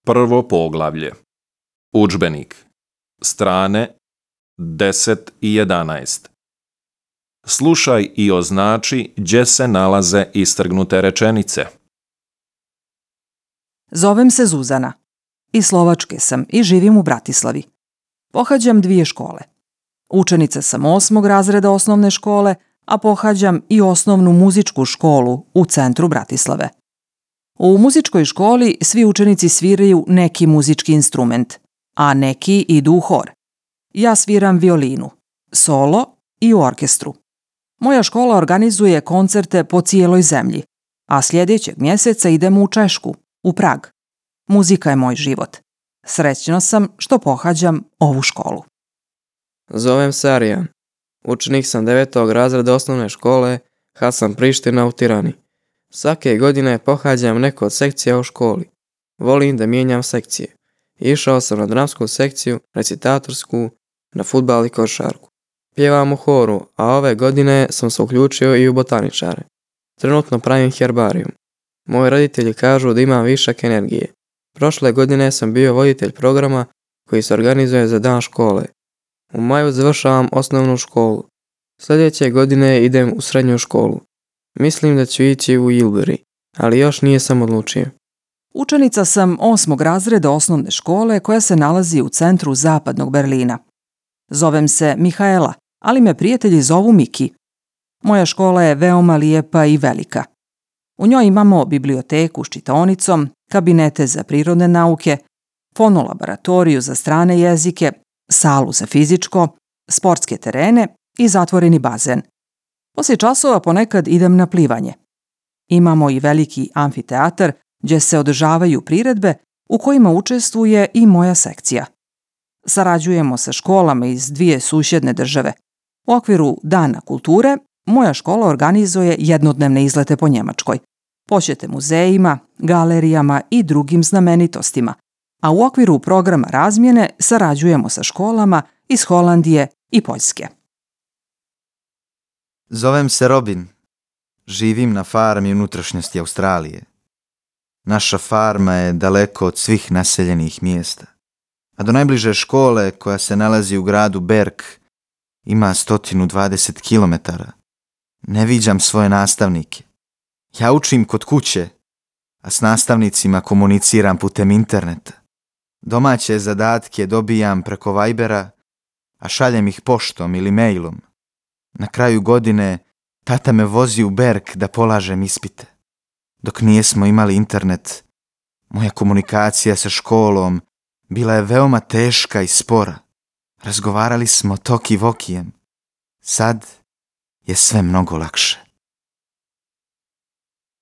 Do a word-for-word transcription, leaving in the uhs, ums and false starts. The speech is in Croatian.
Prvo poglavlje. Udžbenik. Strane deset i jedanaest. Slušaj i označi gdje se nalaze istrgnute rečenice. Zovem se Zuzana. Iz Slovačke sam i živim u Bratislavi. Pohađam dvije škole. Učenica sam osmog razreda osnovne škole, a pohađam i osnovnu muzičku školu u centru Bratislave. U muzičkoj školi svi učenici sviraju neki muzički instrument, a neki idu u hor. Ja sviram violinu, solo i u orkestru. Moja škola organizuje koncerte po cijeloj zemlji, a sljedećeg mjeseca idemo u Češku, u Prag. Muzika je moj život. Srećna sam što pohađam ovu školu. Zovem se Arijan. Učenik sam devetog razreda osnovne škole Hasan Priština u Tirani. Svake godine pohađam neku od sekcija u školi. Volim da mijenjam sekcije. Išao sam na dramsku sekciju, recitatorsku, na fudbal i košarku. Pjevam u horu, a ove godine sam se uključio i u botaničare. Trenutno pravim herbarijum. Moji roditelji kažu da imam višak energije. Prošle godine sam bio voditelj programa koji se organizuje za dan škole. U maju završavam osnovnu školu. Sljedeće godine idem u srednju školu. Mislim da ću ići u Ilbury, ali još nije sam odlučio. Učenica sam osmog razreda osnovne škole koja se nalazi u centru zapadnog Berlina. Zovem se Mihaela, ali me prijatelji zovu Miki. Moja škola je veoma lijepa i velika. U njoj imamo biblioteku s čitaonicom, kabinete za prirodne nauke, fonolaboratoriju za strane jezike, salu za fizičko, sportske terene i zatvoreni bazen. Poslije časova ponekad idem na plivanje. Imamo i veliki amfiteatar gdje se održavaju priredbe u kojima učestvuje i moja sekcija. Sarađujemo sa školama iz dvije susjedne države. U okviru Dana kulture moja škola organizuje jednodnevne izlete po Njemačkoj, posjete muzejima, galerijama i drugim znamenitostima, a u okviru programa razmjene sarađujemo sa školama iz Holandije i Poljske. Zovem se Robin. Živim na farmi unutrašnjosti Australije. Naša farma je daleko od svih naseljenih mjesta, a do najbliže škole koja se nalazi u gradu Berg ima sto dvadeset kilometara. Ne viđam svoje nastavnike. Ja učim kod kuće, a s nastavnicima komuniciram putem interneta. Domaće zadatke dobijam preko Vibera, a šaljem ih poštom ili mailom. Na kraju godine tata me vozi u Berg da polažem ispite. Dok nijesmo imali internet, moja komunikacija sa školom bila je veoma teška i spora. Razgovarali smo toki vokijem. Sad je sve mnogo lakše.